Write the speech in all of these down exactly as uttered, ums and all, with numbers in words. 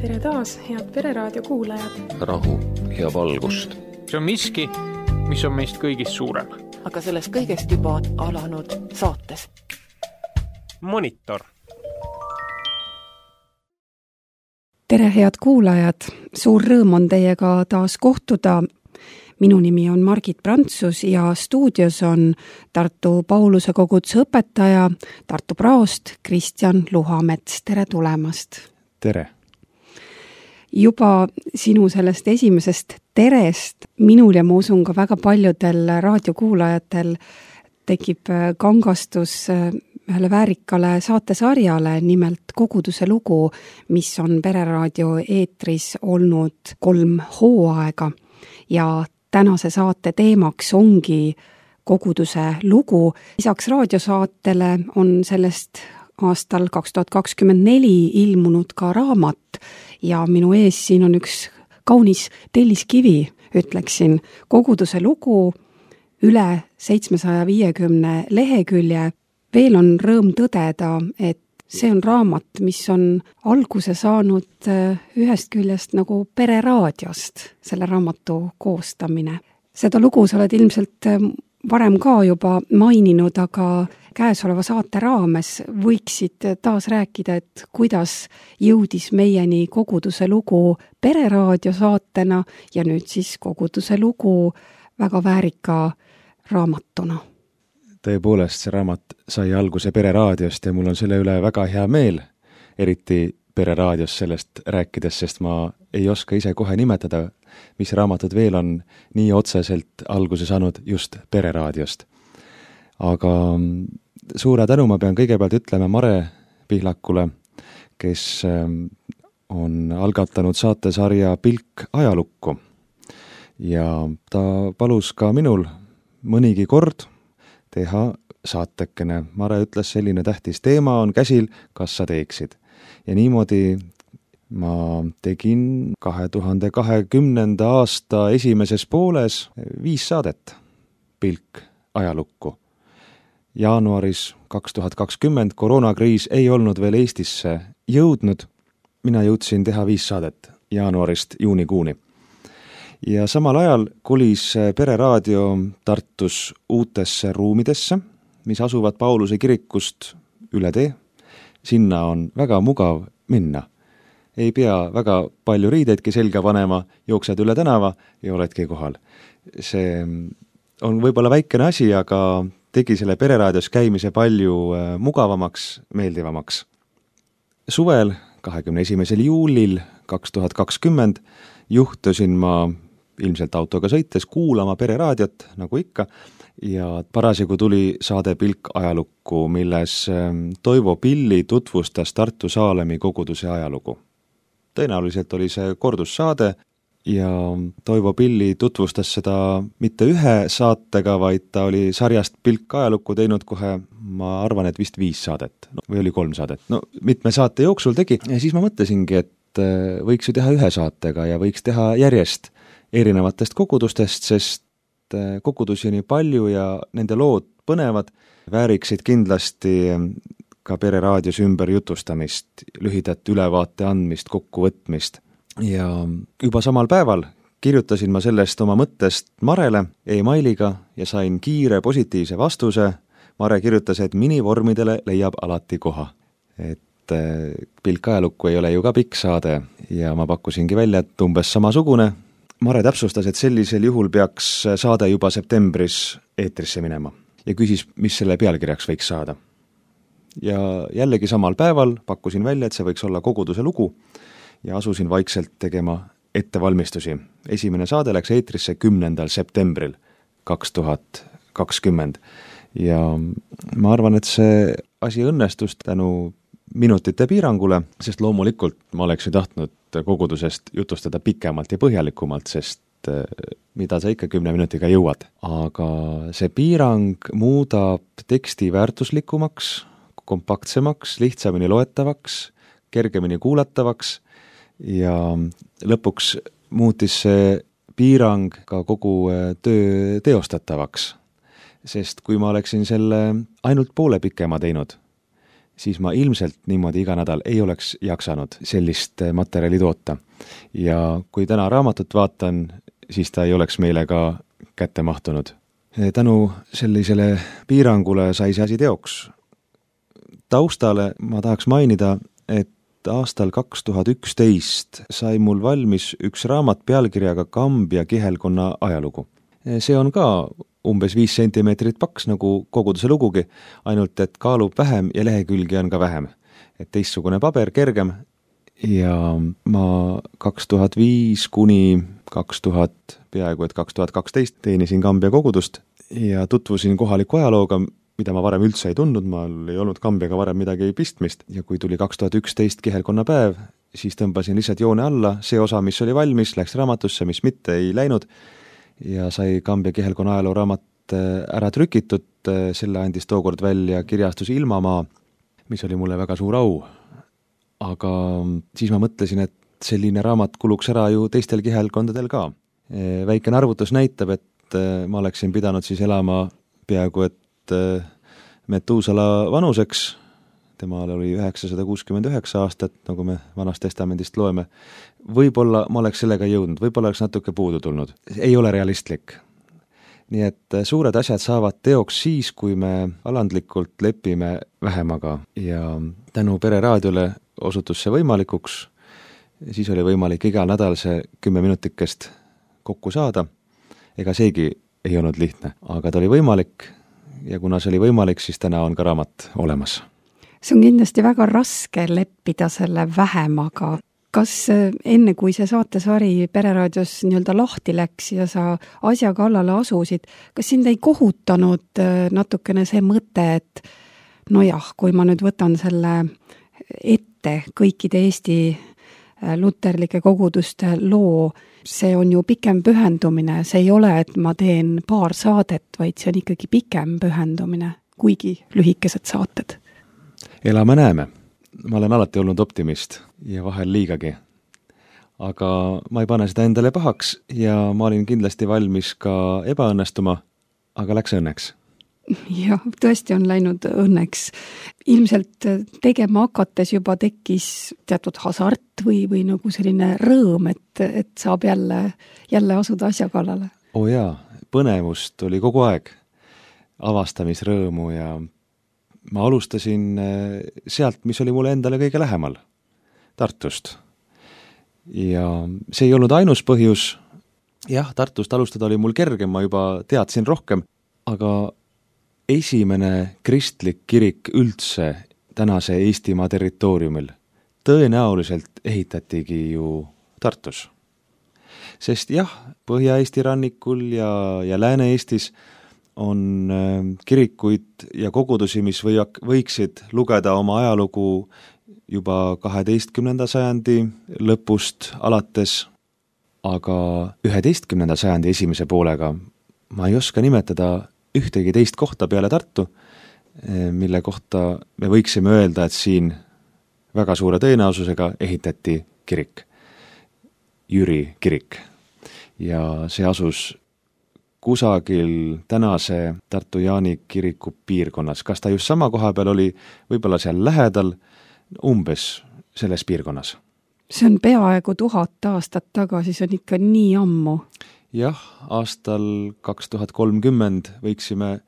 Tere taas, head Pereraadio kuulajad. Rahu ja valgust. See on miski, mis on meist kõigist suurem. Aga sellest kõigest juba alanud saates. Monitor. Tere, head kuulajad. Suur rõõm on teiega taas kohtuda. Minu nimi on Margit Prantsus ja stuudios on Tartu Pauluse koguduse õpetaja, Tartu praost Kristjan Luhamets. Tere tulemast. Tere. Juba sinu sellest esimesest terest minul ja ma usun ka väga paljudel raadiokuulajatel tekib kangastus ühele väärikale saatesarjale, nimelt Koguduse lugu, mis on Pereraadio eetris olnud kolm hooaega. Ja tänase saate teemaks ongi Koguduse lugu. Lisaks raadiosaatele on sellest aastal kaks tuhat kakskümmend neli ilmunud ka raamat ja minu ees siin on üks kaunis telliskivi, ütleksin, Koguduse lugu, üle seitsmesaja viiekümne lehekülje. Veel on rõõm tõdeda, et see on raamat, mis on alguse saanud ühest küljest nagu Pereraadiost, selle raamatu koostamine. Seda lugu sa oled ilmselt varem ka juba maininud, aga käesoleva saate raames võiksid taas rääkida, et kuidas jõudis meieni Koguduse lugu Pereraadio saatena ja nüüd siis Koguduse lugu väga väärika raamatuna. Tõepoolest, see raamat sai alguse Pereraadiost ja mul on selle üle väga hea meel, eriti Pereraadios sellest rääkides, sest ma ei oska ise kohe nimetada, mis raamatud veel on nii otseselt alguse saanud just Pereraadiost. Aga suure tänu ma pean kõigepealt ütlema Mare Pihlakule, kes on algatanud saatesarja Pilk ajalukku. Ja ta palus ka minul mõnigi kord teha saatekene. Mare ütles, selline tähtis teema on käsil, kas sa teeksid. Ja niimoodi ma tegin kahe tuhande kahekümnenda aasta esimeses pooles viis saadet Pilk ajalukku. Jaanuaris kaks tuhat kakskümmend koroonakriis ei olnud veel Eestisse jõudnud. Mina jõudsin teha viis saadet jaanuarist juunikuuni. Ja samal ajal kolis Pereraadio Tartus uutesse ruumidesse, mis asuvad Pauluse kirikust üle tee. Sinna on väga mugav minna. Ei pea väga palju riideidki selga panema, jooksed üle tänava ja oledki kohal. See on võib-olla väikene asi, aga tegi selle Pereraadios käimise palju mugavamaks, meeldivamaks. Suvel, kahekümne esimesel juulil kaks tuhat kakskümmend, juhtusin ma ilmselt autoga sõites kuulama Pereraadiot, nagu ikka, ja parasjagu tuli saade Pilk ajalukku, milles Toivo Pilli tutvustas Tartu Saalemi koguduse ajalugu. Tõenäoliselt oli see kordussaade ja Toivo Pilli tutvustas seda mitte ühe saatega, vaid ta oli sarjast Pilk ajalukku teinud kohe, ma arvan, et vist viis saadet no, või oli kolm saadet. No, mitme saate jooksul tegi ja siis ma mõtlesingi, et võiks ju teha ühe saatega ja võiks teha järjest erinevatest kogudustest, sest kogudusi nii palju ja nende lood põnevad, vääriksid kindlasti ka Pereraadios ümber jutustamist, lühidat ülevaate andmist, kokkuvõtmist. Ja juba samal päeval kirjutasin ma sellest oma mõttest Marele e-mailiga ja sain kiire positiivse vastuse. Mare kirjutas, et minivormidele leiab alati koha. Et Pilk ajalukku ei ole ju ka pikk saade ja ma pakkusingi välja, et umbes samasugune. Mare täpsustas, et sellisel juhul peaks saade juba septembris eetrisse minema ja küsis, mis selle pealkirjaks võiks saada. Ja jällegi samal päeval pakkusin välja, et see võiks olla Koguduse lugu ja asusin vaikselt tegema ettevalmistusi. Esimene saade läks eetrisse kümnendal septembril kaks tuhat kakskümmend ja ma arvan, et see asi õnnestus tänu minutite piirangule, sest loomulikult ma oleksin tahtnud kogudusest jutustada pikemalt ja põhjalikumalt, sest mida sa ikka kümne minutiga jõuad. Aga see piirang muudab teksti väärtuslikumaks, kompaktsemaks, lihtsamini loetavaks, kergemini kuulatavaks ja lõpuks muutis see piirang ka kogu töö teostatavaks. Sest kui ma oleksin selle ainult poole pikema teinud, siis ma ilmselt niimoodi iga nädal ei oleks jaksanud sellist materjali toota. Ja kui täna raamatut vaatan, siis ta ei oleks meile ka kätte mahtunud. Tänu sellisele piirangule sai see asi teoks. Taustale ma tahaks mainida, et aastal kaks tuhat üksteist sai mul valmis üks raamat pealkirjaga Kambja kihelkonna ajalugu. See on ka umbes viis sentimeetrit paks nagu koguduse lugugi, ainult et kaalub vähem ja lehekülgi on ka vähem. Et teistsugune paber, kergem ja ma kaks tuhat viis kuni kaks tuhat, peaaegu et kaks tuhat kaksteist teenisin Kambja kogudust ja tutvusin kohaliku ajalooga, mida ma varem üldse ei tundnud, ma ei olnud Kambjaga varem midagi pistmist ja kui tuli kaks tuhat üksteist kihelkonna päev, siis tõmbasin lihtsalt joone alla, see osa, mis oli valmis, läks raamatusse, mis mitte ei läinud ja sai Kambja kihelkonna ajaloo raamat ära trükitud, selle andis tookord välja kirjastus Ilmamaa, mis oli mulle väga suur au. Aga siis ma mõtlesin, et selline raamat kuluks ära ju teistel kihelkondadel ka. Väikene arvutus näitab, et ma oleksin pidanud siis elama peaaegu et Metuusala vanuseks, temal oli üheksasada kuuskümmend üheksa aastat, nagu me Vanast testamendist loeme. Võib-olla ma oleks sellega jõudnud, võib-olla oleks natuke puudu tulnud. Ei ole realistlik. Nii et suured asjad saavad teoks siis, kui me alandlikult lepime vähemaga ja tänu Pere raadiole osutus see võimalikuks, siis oli võimalik igal nädal see kümme minutikest kokku saada. Ega seegi ei olnud lihtne, aga ta oli võimalik ja kuna see oli võimalik, siis täna on ka raamat olemas. See on kindlasti väga raske leppida selle vähemaga. Kas enne, kui see saatesari Pere raadios nii-öelda lahti läks ja sa asja kallale asusid, kas sind ei kohutanud natukene see mõte, et nojah, kui ma nüüd võtan selle ette kõikide Eesti luterlike koguduste loo, see on ju pikem pühendumine, see ei ole, et ma teen paar saadet, vaid see on ikkagi pikem pühendumine, kuigi lühikesed saated. Elame näeme. Ma olen alati olnud optimist ja vahel liigagi. Aga ma ei pane seda endale pahaks ja ma olin kindlasti valmis ka ebaõnnestuma, aga läks õnneks. Jah, tõesti on läinud õnneks. Ilmselt tegema hakates juba tekkis teatud hasart või, või nagu selline rõõm, et, et saab jälle, jälle asuda asja kallale. O jaa, põnevust oli kogu aeg, avastamisrõõmu ja ma alustasin sealt, mis oli mulle endale kõige lähemal, Tartust. Ja see ei olnud ainus põhjus. Jah, Tartust alustada oli mul kergem, ma juba teadsin rohkem, aga esimene kristlik kirik üldse tänase Eestimaa territooriumil tõenäoliselt ehitatigi ju Tartus. Sest jah, Põhja-Eesti rannikul ja, ja Lääne-Eestis on kirikuid ja kogudusi, mis või, võiksid lugeda oma ajalugu juba kaheteistkümnenda sajandi lõpust alates, aga üheteistkümnenda sajandi esimese poolega ma ei oska nimetada ühtegi teist kohta peale Tartu, mille kohta me võiksime öelda, et siin väga suure tõenäosusega ehitati kirik, Jüri kirik. Ja see asus kusagil tänase Tartu Jaani kiriku piirkonnas. Kas ta just sama koha peal oli, võib-olla seal lähedal, umbes selles piirkonnas? See on peaaegu tuhat aastat tagasi, see on ikka nii ammu. Jah, aastal kaks tuhat kolmkümmend võiksime,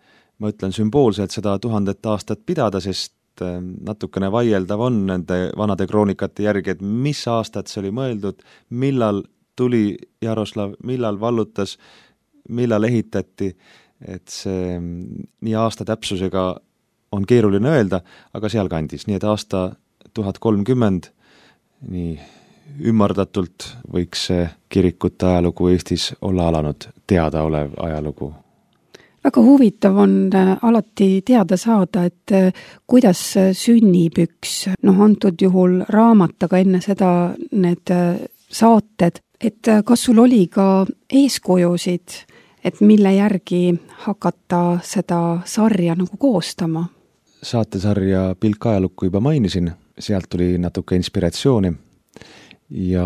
ma ütlen sümboolselt, seda tuhandet aastat pidada, sest natukene vaieldav on nende vanade kroonikate järgi, et mis aastat see oli mõeldud, millal tuli Jaroslav, millal vallutas, millal ehitati, et see nii aasta täpsusega on keeruline öelda, aga seal kandis, nii et aasta tuhat kolmkümmend, nii ümmardatult võiks see kirikute ajalugu Eestis olla alanud, teadaolev ajalugu. Väga huvitav on alati teada saada, et kuidas sünnib üks, noh antud juhul raamat, aga enne seda need saated, et kas sul oli ka eeskujusid, et mille järgi hakata seda sarja nagu koostama? Saatesarja Pilk ajalukku juba mainisin, sealt tuli natuke inspiratsiooni. Ja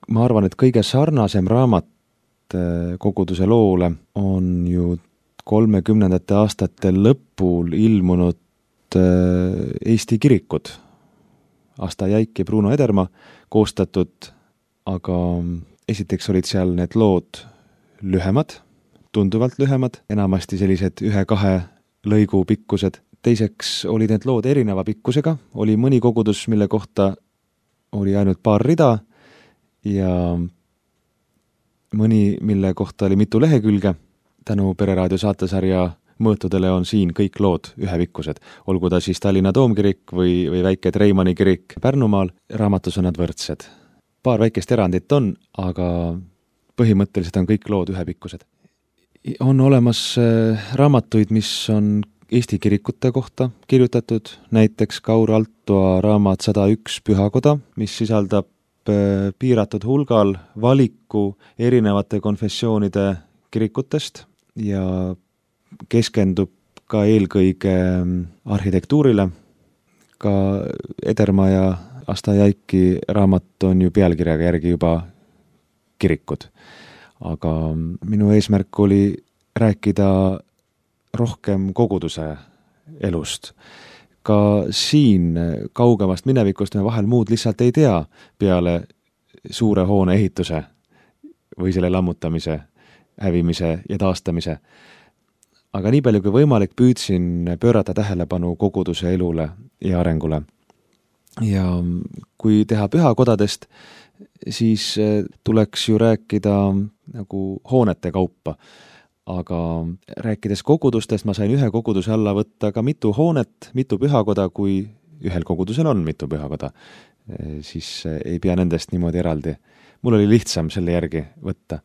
ma arvan, et kõige sarnasem raamat koguduse loole on ju kolmekümnendate aastate lõpul ilmunud Eesti kirikud, Asta Jäik ja Bruno Edermaa koostatud, aga esiteks olid seal need lood lühemad, tunduvalt lühemad, enamasti sellised ühe-kahe lõigu pikkused. Teiseks olid need lood erineva pikkusega, oli mõni kogudus, mille kohta oli ainult paar rida ja mõni, mille kohta oli mitu lehekülge. Tänu Pereraadio saatesarja mõõtudele on siin kõik lood ühepikkused, olgu ta siis Tallinna Toomkirik või, või väike Treimanni kirik Pärnumaal, raamatus on nad võrdsed. Paar väikest erandit on, aga põhimõtteliselt on kõik lood ühepikkused. On olemas raamatuid, mis on Eesti kirikute kohta kirjutatud, näiteks Kaur Altoa raamat sada üks Pühakoda, mis sisaldab piiratud hulgal valiku erinevate konfessioonide kirikutest ja keskendub ka eelkõige arhitektuurile. Ka Edermaa ja Asta Jäiki raamat on ju pealkirjaga järgi juba kirikud. Aga minu eesmärk oli rääkida rohkem koguduse elust. Ka siin kaugemast minevikust me vahel muud lihtsalt ei tea peale suure hoone ehituse või selle lammutamise, hävimise ja taastamise. Aga nii palju kui võimalik püüdsin pöörata tähelepanu koguduse elule ja arengule. Ja kui teha pühakodadest, siis tuleks ju rääkida nagu hoonete kaupa. Aga rääkides kogudustest, ma sain ühe koguduse alla võtta ka mitu hoonet, mitu pühakoda, kui ühel kogudusel on mitu pühakoda, siis ei pea nendest niimoodi eraldi. Mul oli lihtsam selle järgi võtta.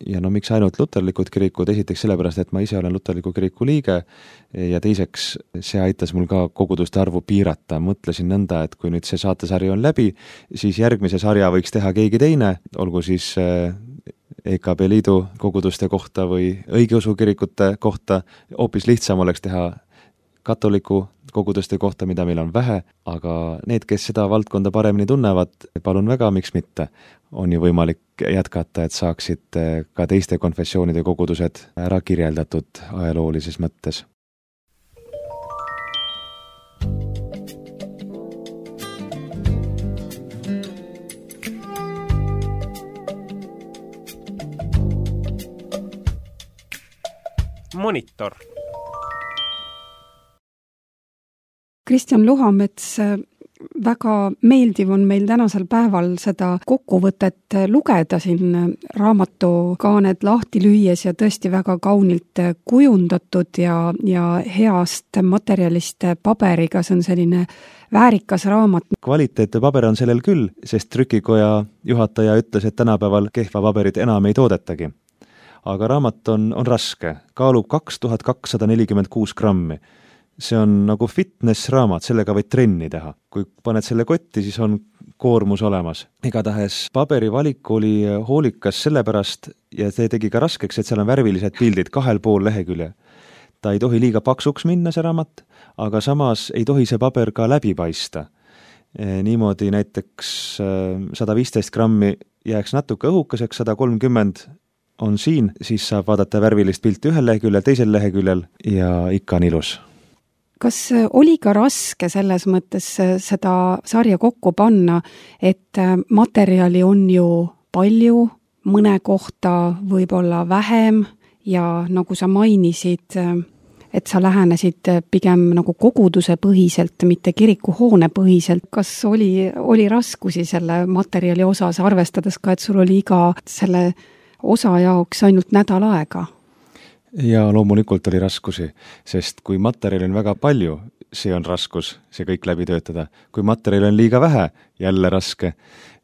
Ja no miks ainult luterlikud kirikud, esiteks sellepärast, et ma ise olen luterliku kiriku liige ja teiseks see aitas mul ka koguduste arvu piirata. Mõtlesin nõnda, et kui nüüd see saatesari on läbi, siis järgmise sarja võiks teha keegi teine, olgu siis E K B Liidu koguduste kohta või õigeusu kirikute kohta. Hoopis lihtsam oleks teha katoliku koguduste kohta, mida meil on vähe, aga need, kes seda valdkonda paremini tunnevad, palun väga, miks mitte. On ju võimalik jätkata, et saaksid ka teiste konfessioonide kogudused ära kirjeldatud ajaloolises mõttes. Monitor. Kristjan Luhamets, väga meeldiv on meil tänasel päeval seda kokkuvõtet lugeda siin raamatukaaned lahti lüües ja tõesti väga kaunilt kujundatud ja, ja heast materjalist paberiga, see on selline väärikas raamat. Kvaliteetne paber on sellel küll, sest trükikoja juhataja ütles, et tänapäeval kehva paberit enam ei toodetagi. Aga raamat on, on raske, kaalub kaks tuhat kakssada nelikümmend kuus grammi. See on nagu fitness raamat, sellega võid trenni teha. Kui paned selle kotti, siis on koormus olemas. Igatahes paberi valik oli hoolikas sellepärast ja see tegi ka raskeks, et seal on värvilised pildid kahel pool lehekülje. Ta ei tohi liiga paksuks minna, see raamat, aga samas ei tohi see paber ka läbi paista. Niimoodi näiteks sada viisteist grammi jääks natuke õhukeseks, sada kolmkümmend on siin, siis saab vaadata värvilist pilti ühel leheküljel, teisel leheküljel ja ikka on ilus. Kas oli ka raske selles mõttes seda sarja kokku panna, et materjali on ju palju, mõne kohta võib-olla vähem ja nagu sa mainisid, et sa lähenesid pigem nagu koguduse põhiselt, mitte kirikuhoone põhiselt. Kas oli, oli raskusi selle materjali osas, arvestades ka, et sul oli iga selle osa jaoks ainult nädal aega? Ja loomulikult oli raskusi, sest kui materjali on väga palju, see on raskus, see kõik läbi töötada. Kui materjali on liiga vähe, jälle raske.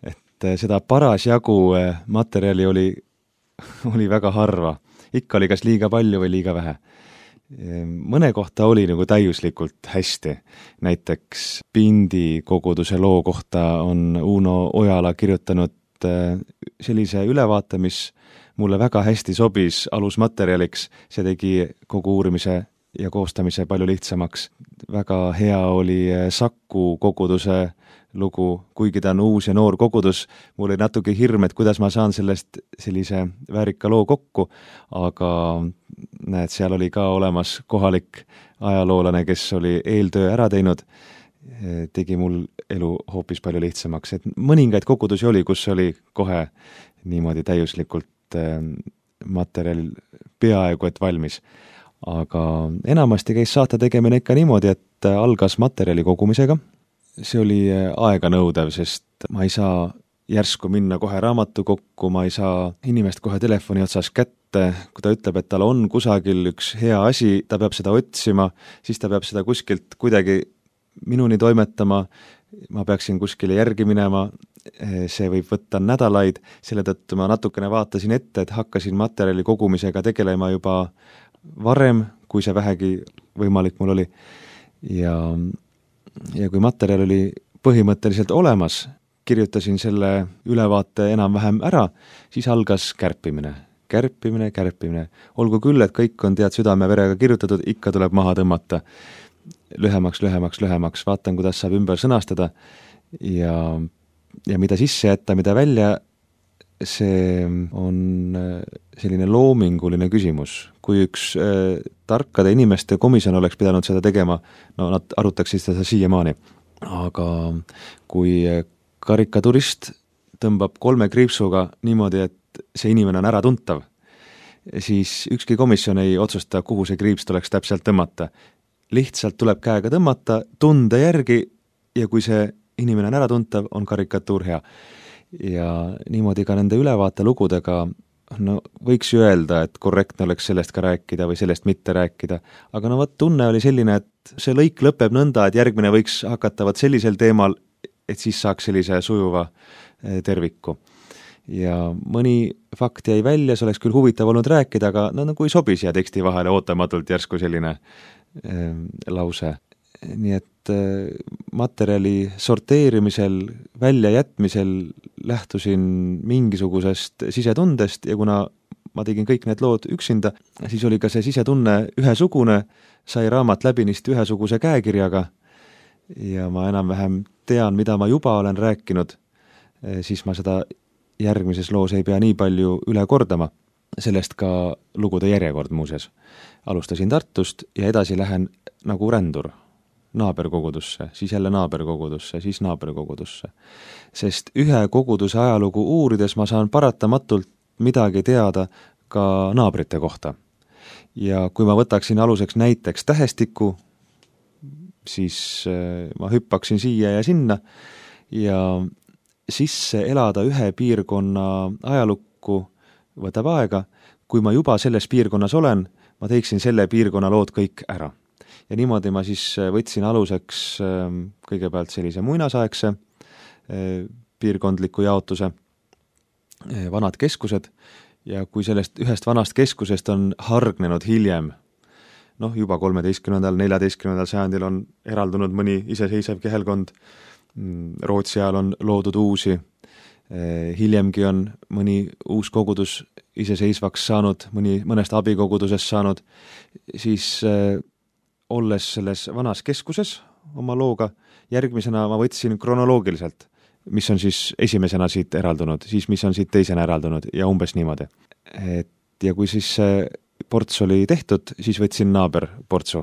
Et seda parasjagu materjali oli, oli väga harva. Ikka oli kas liiga palju või liiga vähe. Mõne kohta oli nagu täiuslikult hästi. Näiteks Pindi koguduse loo kohta on Uno Ojala kirjutanud sellise ülevaate, mis mulle väga hästi sobis alusmaterjaliks, see tegi kogu uurimise ja koostamise palju lihtsamaks. Väga hea oli Saku koguduse lugu, kuigi ta on uus ja noor kogudus, mul oli natuke hirm, et kuidas ma saan sellest sellise väärika loo kokku, aga näed, seal oli ka olemas kohalik ajaloolane, kes oli eeltöö ära teinud, tegi mul elu hoopis palju lihtsamaks, et mõningaid kogudusi oli, kus oli kohe niimoodi täiuslikult materjal peaaegu et valmis. Aga enamasti käis saate tegemine ikka niimoodi, et algas materjali kogumisega. See oli aega nõudev, sest ma ei saa järsku minna kohe raamatu kokku, ma ei saa inimest kohe telefoni otsas kätte, kui ta ütleb, et tal on kusagil üks hea asi, ta peab seda otsima, siis ta peab seda kuskilt kuidagi minuni toimetama, ma peaksin kuskile järgi minema, see võib võtta nädalaid, selle tõttu ma natukene vaatasin ette, et hakkasin materjali kogumisega tegelema juba varem, kui see vähegi võimalik mul oli. Ja, ja kui materjal oli põhimõtteliselt olemas, kirjutasin selle ülevaate enam-vähem ära, siis algas kärpimine. Kärpimine, kärpimine. Olgu küll, et kõik on tead südame verega kirjutatud, ikka tuleb maha tõmmata. Lühemaks, lühemaks, lühemaks, vaatan, kuidas saab ümber sõnastada ja, ja mida sisse jätta, mida välja, see on selline loominguline küsimus. Kui üks äh, tarkade inimeste komisjon oleks pidanud seda tegema, no nad arutaksid seda siiamaani. Aga kui karikaturist tõmbab kolme kriipsuga niimoodi, et see inimene on ära tuntav, siis ükski komisjon ei otsusta, kuhu see kriips tuleks täpselt tõmmata. Lihtsalt tuleb käega tõmmata, tunde järgi ja kui see inimene on ära tuntav, on karikatuur hea. Ja niimoodi ka nende ülevaate lugudega, no võiks ju öelda, et korrektne oleks sellest ka rääkida või sellest mitte rääkida, aga no võt tunne oli selline, et see lõik lõpeb nõnda, et järgmine võiks hakata võt sellisel teemal, et siis saaks sellise sujuva terviku. Ja mõni fakt jäi välja, see oleks küll huvitav olnud rääkida, aga no, no kui sobi siia teksti vahele ootamatult järsku selline äh, lause. Nii et äh, materjali sorteerimisel, väljajätmisel lähtusin mingisugusest sisetundest ja kuna ma tegin kõik need lood üksinda, siis oli ka see sisetunne ühesugune, sai raamat läbinist ühesuguse käekirjaga ja ma enam-vähem tean, mida ma juba olen rääkinud, siis ma seda järgmises loos ei pea nii palju üle kordama. Sellest ka lugude järjekord muuseas. Alustasin Tartust ja edasi lähen nagu rändur naaberkogudusse, siis jälle naaberkogudusse, siis naaberkogudusse. Sest ühe koguduse ajalugu uurides ma saan paratamatult midagi teada ka naabrite kohta. Ja kui ma võtaksin aluseks näiteks tähestiku, siis ma hüppaksin siia ja sinna ja sisse elada ühe piirkonna ajalukku võtab aega, kui ma juba selles piirkonnas olen, ma teeksin selle piirkonna lood kõik ära. Ja niimoodi ma siis võtsin aluseks kõigepealt sellise muinasaegse piirkondliku jaotuse, vanad keskused, ja kui sellest ühest vanast keskusest on hargnenud hiljem, noh juba kolmeteistkümnendal, neljateistkümnendal sajandil on eraldunud mõni iseseisev kehelkond, Rootsi ajal on loodud uusi, hiljemgi on mõni uus kogudus iseseisvaks saanud, mõni mõnest abikogudusest saanud, siis olles selles vanas keskuses oma looga, järgmisena ma võtsin kronoloogiliselt, mis on siis esimesena siit eraldunud, siis mis on siit teisena eraldunud ja umbes niimoodi. Et, ja kui siis see ports oli tehtud, siis võtsin naaber portsu.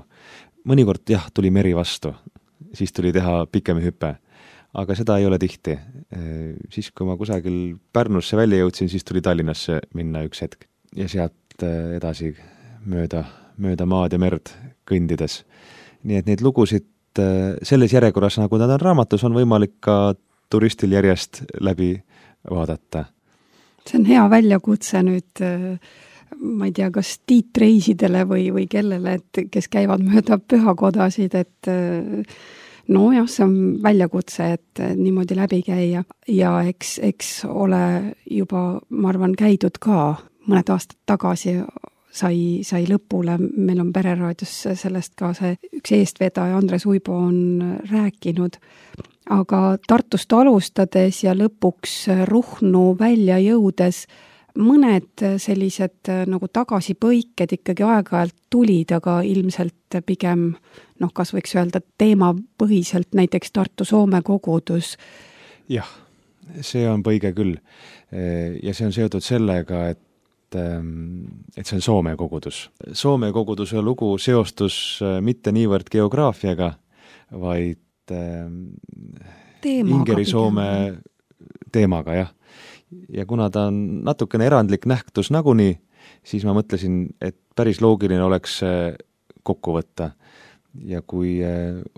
Mõnikord jah, tuli meri vastu, siis tuli teha pikemi hüpe, aga seda ei ole tihti. Siis kui ma kusagil Pärnusse välja jõudsin, siis tuli Tallinnasse minna üks hetk ja sealt edasi mööda, mööda maad ja merd kõndides. Nii et neid lugusid selles järjekorras, nagu nad on raamatus, on võimalik ka turistil järjest läbi vaadata. See on hea väljakutse nüüd, ma ei tea, kas tiitreisidele või, või kellele, et kes käivad mööda pühakodasid, et no jah, see on väljakutse, et niimoodi läbi käia ja eks, eks ole juba, ma arvan, käidud ka mõned aastad tagasi sai, sai lõpule, meil on Pereraadios sellest ka see üks eestvedaja Andres Uibo on rääkinud, aga Tartust alustades ja lõpuks Ruhnu välja jõudes mõned sellised nagu tagasipõiked ikkagi aeg-ajalt tulid, aga ilmselt pigem, noh, kas võiks öelda teemapõhiselt, näiteks Tartu-Soome kogudus. Jah, see on põige küll. Ja see on seotud sellega, et et see on Soome kogudus. Soome koguduse lugu seostus mitte niivõrd geograafiaga, vaid Teemaga Ingeri-Soome teemaga, jah. Ja kuna ta on natukene erandlik nähtus nagunii, siis ma mõtlesin, et päris loogiline oleks kokku võtta. Ja kui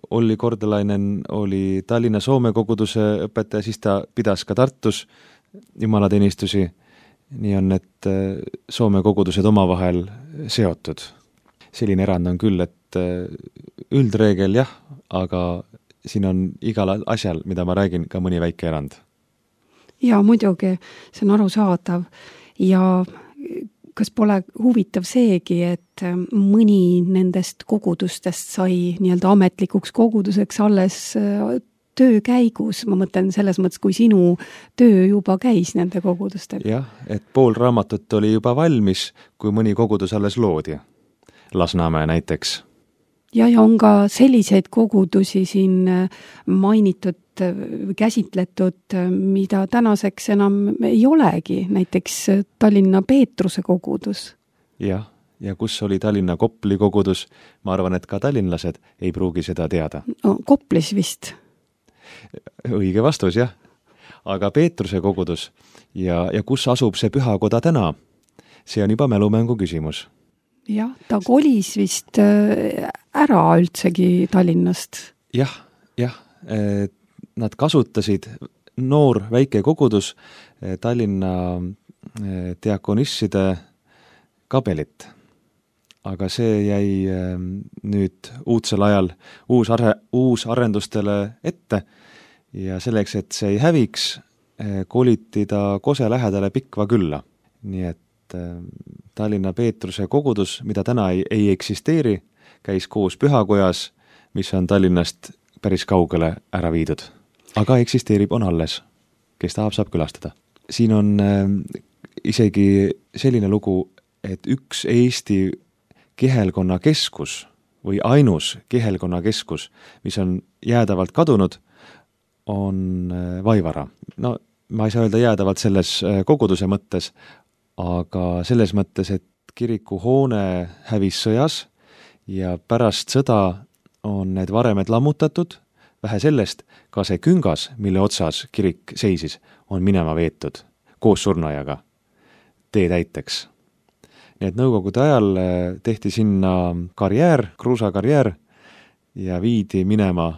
Olli Kordelainen oli Tallinna Soome koguduse õpetaja, siis ta pidas ka Tartus jumalateenistusi. Nii on, et Soome kogudused omavahel seotud. Selline erand on küll, et üldreegel jah, aga siin on igal asjal, mida ma räägin, ka mõni väike erand. Ja muidugi, see on arusaadav. Ja kas pole huvitav seegi, et mõni nendest kogudustest sai nii-öelda ametlikuks koguduseks alles töö käigus, ma mõtlen selles mõttes, kui sinu töö juba käis nende kogudustel. Jah, et pool raamatut oli juba valmis, kui mõni kogudus alles loodi. Lasnamäe näiteks. Ja, ja on ka selliseid kogudusi siin mainitud, käsitletud, mida tänaseks enam ei olegi, näiteks Tallinna Peetruse kogudus. Jah, ja kus oli Tallinna Kopli kogudus, ma arvan, et ka tallinlased ei pruugi seda teada. No, Koplis vist. Õige vastus, jah. Aga Peetruse kogudus ja, ja kus asub see pühakoda täna, see on juba mälumängu küsimus. Jah, ta kolis vist ära üldsegi Tallinnast. Jah, jah. Nad kasutasid noor väike kogudus Tallinna diakonisside kabelit. Aga see jäi nüüd uudsel ajal uus, are, uus arendustele ette ja selleks, et see ei häviks, koliti ta Kose lähedale Pikva külla. Nii et Tallinna Peetruse kogudus, mida täna ei, ei eksisteeri, käis koos Pühakojas, mis on Tallinnast päris kaugele ära viidud. Aga eksisteerib, on alles, kes tahab, saab külastada. Siin on isegi selline lugu, et üks Eesti kihelkonna keskus või ainus kihelkonna keskus, mis on jäädavalt kadunud, on Vaivara. No ma ei saa öelda jäädavalt selles koguduse mõttes, aga selles mõttes, et kirikuhoone hävis sõjas ja pärast sõda on need varemed lammutatud, vähe sellest, ka see küngas, mille otsas kirik seisis, on minema veetud koos surnuaiaga tee täiteks. Nii et nõukogude ajal tehti sinna karjäär, kruusakarjäär ja viidi minema,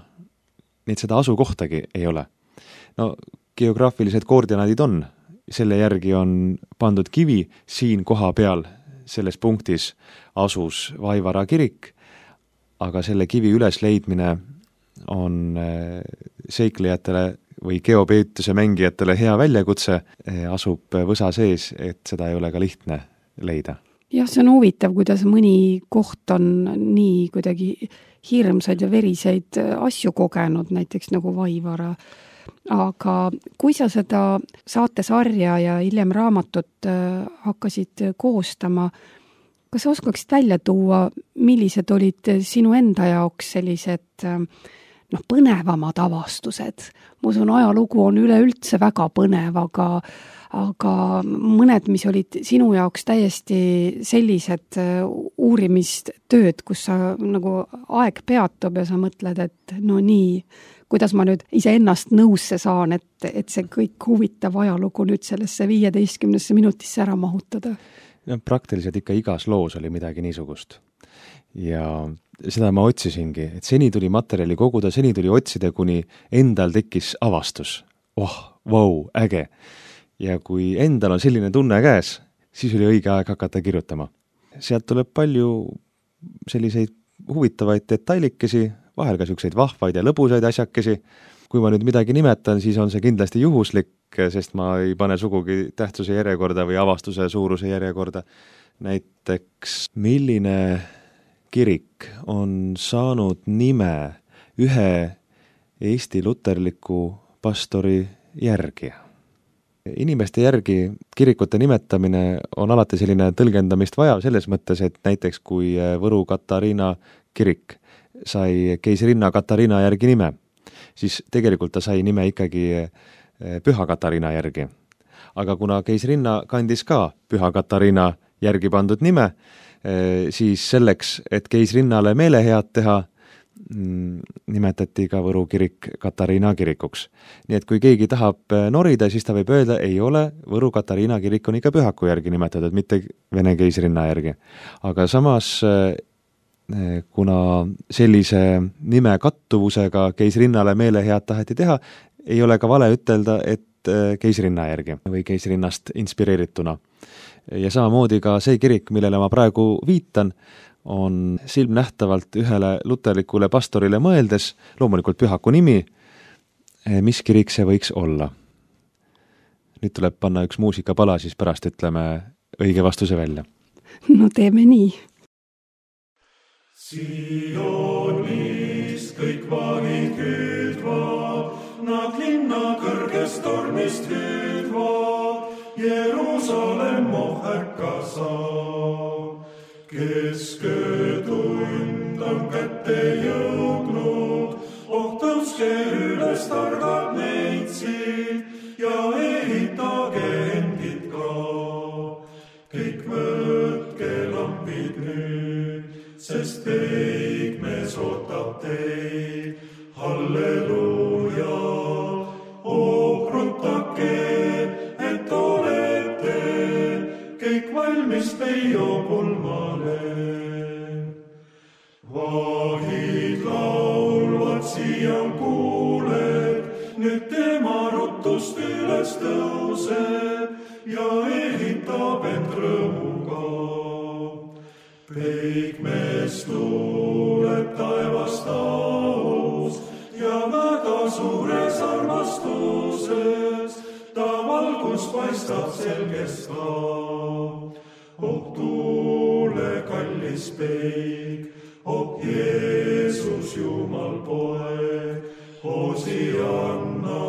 nii et seda asukohtagi ei ole. No geograafilised koordinaadid on, selle järgi on pandud kivi, siin koha peal selles punktis asus Vaivara kirik, aga selle kivi ülesleidmine on seiklejatele või geopeetuse mängijatele hea väljakutse, asub võsa sees, et seda ei ole ka lihtne leida. Jah, see on huvitav, kuidas mõni koht on nii kuidagi hirmsaid ja veriseid asju kogenud, näiteks nagu Vaivara. Aga kui sa seda saatesarja ja hiljem raamatut hakkasid koostama, kas sa oskaksid välja tuua, millised olid sinu enda jaoks sellised noh, põnevamad avastused? Ma usun, ajalugu on üleüldse väga põnev, aga, aga mõned, mis olid sinu jaoks täiesti sellised uurimistööd, kus sa nagu aeg peatub ja sa mõtled, et no nii, kuidas ma nüüd ise ennast nõusse saan, et, et see kõik huvitav ajalugu nüüd sellesse viieteistkümnesse minutisse ära mahutada? Ja praktiliselt ikka igas loos oli midagi niisugust. Ja seda ma otsisingi, et seni tuli materjali koguda, seni tuli otsida, kuni endal tekkis avastus. Oh, vau, äge! Ja kui endal on selline tunne käes, siis oli õige aeg hakata kirjutama. Sealt tuleb palju selliseid huvitavaid detailikesi, vahel ka selliseid vahvaid ja lõbusaid asjakesi. Kui ma nüüd midagi nimetan, siis on see kindlasti juhuslik, sest ma ei pane sugugi tähtsuse järjekorda või avastuse suuruse järjekorda. Näiteks, milline kirik on saanud nime ühe Eesti luterliku pastori järgi? Inimeste järgi kirikute nimetamine on alati selline tõlgendamist vaja selles mõttes, et näiteks kui Võru Katariina kirik sai keisrinna Katariina järgi nime, siis tegelikult ta sai nime ikkagi Püha Katariina järgi. aga kuna keisrinna kandis ka Püha Katariina järgi pandud nime, siis selleks, et keisrinnale meelehead teha, nimetati ka Võru kirik Katariina kirikuks. Nii et kui keegi tahab norida, siis ta võib öelda, ei ole, Võru Katariina kirik on ikka pühaku järgi nimetatud, mitte Vene keisrinna järgi. Aga samas, kuna sellise nime kattuvusega keisrinnale meelehead taheti teha, ei ole ka vale ütelda, et keisrinna järgi või keisrinnast inspireerituna. Ja samamoodi ka see kirik, millele ma praegu viitan, on silmnähtavalt ühele luterlikule pastorile mõeldes, loomulikult pühaku nimi, mis kirik see võiks olla. Nüüd tuleb panna üks muusikapala, siis pärast ütleme õige vastuse välja. No teeme nii. Sionist kõik vahid hüüdvad, nad linna kõrgest tormist hüüdvad, Jerusalem ohärka saab. Kesköötund on kätte jõudnud, oh tõuske üles targad neitsid ja ehitage endid ka. Kõik võtke lampid nüüd, sest peigmees ootab teid. Halleluuja, oh rutake, et olete kõik valmis peio pulmale. Vahid laulvad siian kuuled, nüüd tema rutust üles tõuseb ja ehitab end rõõmuga. Peigmees tuleb taevast aus ja väga suures armastuses, ta valgus paistab selgest ka. Oh tuule kallis peig, oh Jeesus Jumal poeg, Hosianna,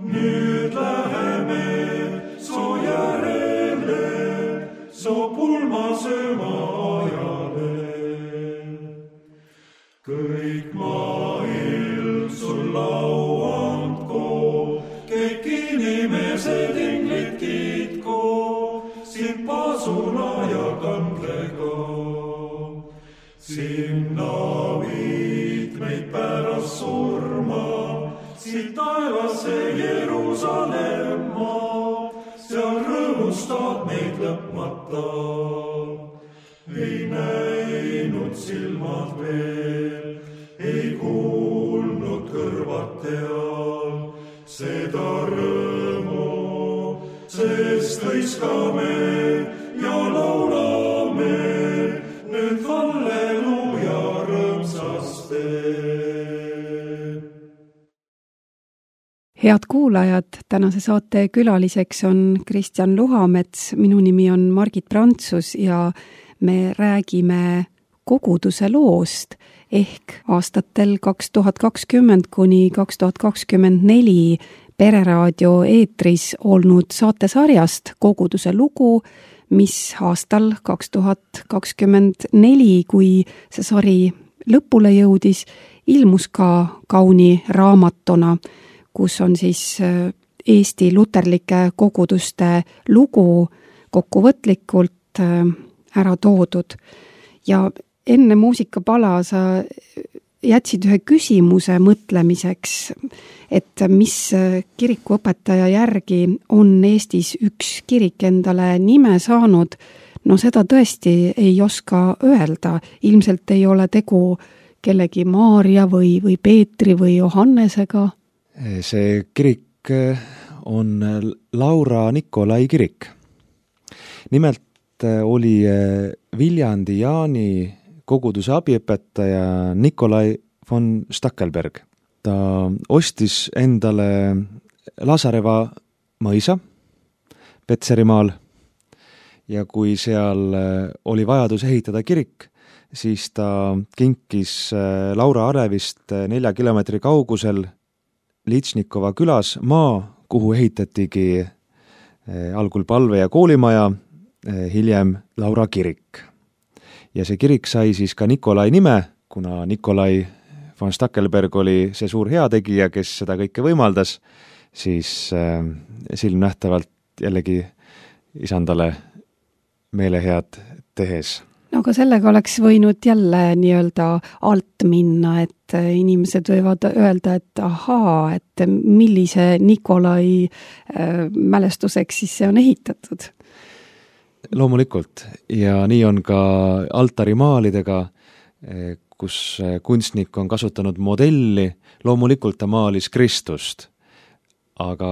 nüüd läheme soo järele, soo pulmasööma ajale. Kõik maailm sul lau andko, kõik inimesed inglid kiitko, sind pasuna ja kandlega. Sinna viid meid pärast surma, siit taevasse Jerusalemma, seal rõõmustad meid lõpmata. Ei näinud silmad veel, ei kuulnud kõrvad teal seda rõõmu, sest hõiskame ja laulame nüüd halleluuja rõõmsaste. Head kuulajad, tänase saate külaliseks on Kristjan Luhamets, minu nimi on Margit Prantsus ja me räägime koguduse loost ehk aastatel kaks tuhat kakskümmend kuni kaks tuhat kakskümmend neli Pereraadio eetris olnud saatesarjast Koguduse lugu, mis aastal kaks tuhat kakskümmend neli, kui see sari lõpule jõudis, ilmus ka kauni raamatuna, kus on siis Eesti luterlike koguduste lugu kokkuvõtlikult ära toodud. Ja enne muusikapala sa jätsid ühe küsimuse mõtlemiseks, et mis kirikuõpetaja järgi on Eestis üks kirik endale nime saanud. No seda tõesti ei oska öelda. Ilmselt ei ole tegu kellegi Maarja või, või Peetri või Johannesega. See kirik on Laura Nikolai kirik. Nimelt oli Viljandi Jaani koguduse abiõpetaja Nikolai von Stackelberg. Ta ostis endale Lasareva mõisa Petserimaal ja kui seal oli vajadus ehitada kirik, siis ta kinkis Laura Arevist nelja kilomeetri kaugusel Litsnikova külas maa, kuhu ehitatigi algul palve- ja koolimaja, hiljem Laura kirik. Ja see kirik sai siis ka Nikolai nime, kuna Nikolai von Stackelberg oli see suur heategija, kes seda kõike võimaldas, siis äh, silmnähtavalt jällegi isandale meelehead tehes. no aga sellega oleks võinud jälle nii-öelda alt minna, et inimesed võivad öelda, et ahaa, et millise Nikolai äh, mälestuseks siis see on ehitatud. Loomulikult, ja nii on ka altarimaalidega, kus kunstnik on kasutanud modelli, loomulikult ta maalis Kristust, aga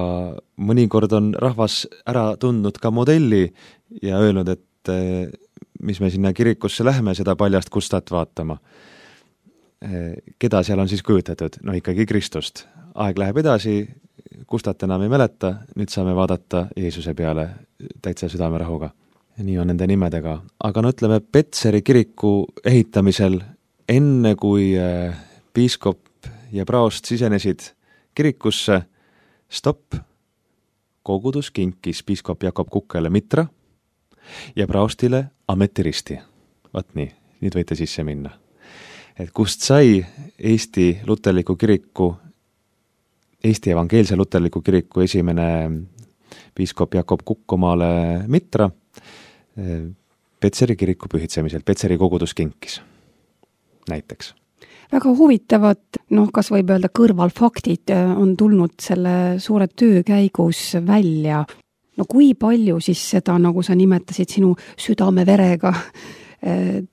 mõnikord on rahvas ära tundnud ka modelli ja öelnud, et mis me sinna kirikusse lähme seda paljast kustat vaatama. Keda seal on siis kujutatud? No ikkagi Kristust. Aeg läheb edasi, kustat enam ei mäleta, nüüd saame vaadata Jeesuse peale täitsa südamerahuga. Nii on nende nimedega. Aga no ütleme, Petseri kiriku ehitamisel enne kui piiskop ja praost sisenesid kirikusse, stopp, kogudus kinkis piiskop Jakob Kukkele mitra ja praostile ametiristi. Vaat nii, nüüd võite sisse minna. Et kust sai Eesti luterliku kiriku, Eesti evangeelse luterliku kiriku esimene piiskop Jakob Kukk omale mitra Petseri kiriku pühitsemisel, Petseri kogudus kinkis näiteks. Väga huvitavad, noh, kas võib öelda kõrvalfaktid on tulnud selle suure töö käigus välja. No kui palju siis seda, nagu sa nimetasid, sinu südame verega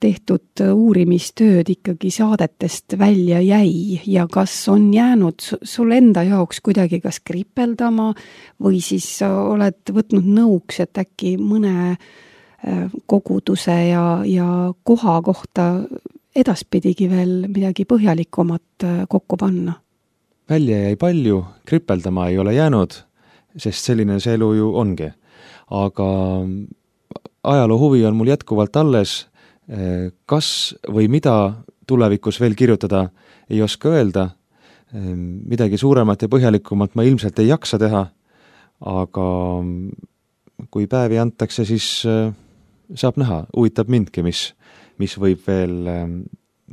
tehtud uurimistööd ikkagi saadetest välja jäi ja kas on jäänud sul enda jaoks kuidagi kas kripeldama või siis oled võtnud nõuks, et äkki mõne koguduse ja, ja koha kohta edaspidigi veel midagi põhjalikumat kokku panna? Välja jäi palju, kripeldama ei ole jäänud, sest selline see elu ju ongi. Aga ajaloo huvi on mul jätkuvalt alles, kas või mida tulevikus veel kirjutada ei oska öelda, midagi suuremat ja põhjalikumat ma ilmselt ei jaksa teha, aga kui päevi antakse, siis saab näha, huvitab mindki, mis, mis võib veel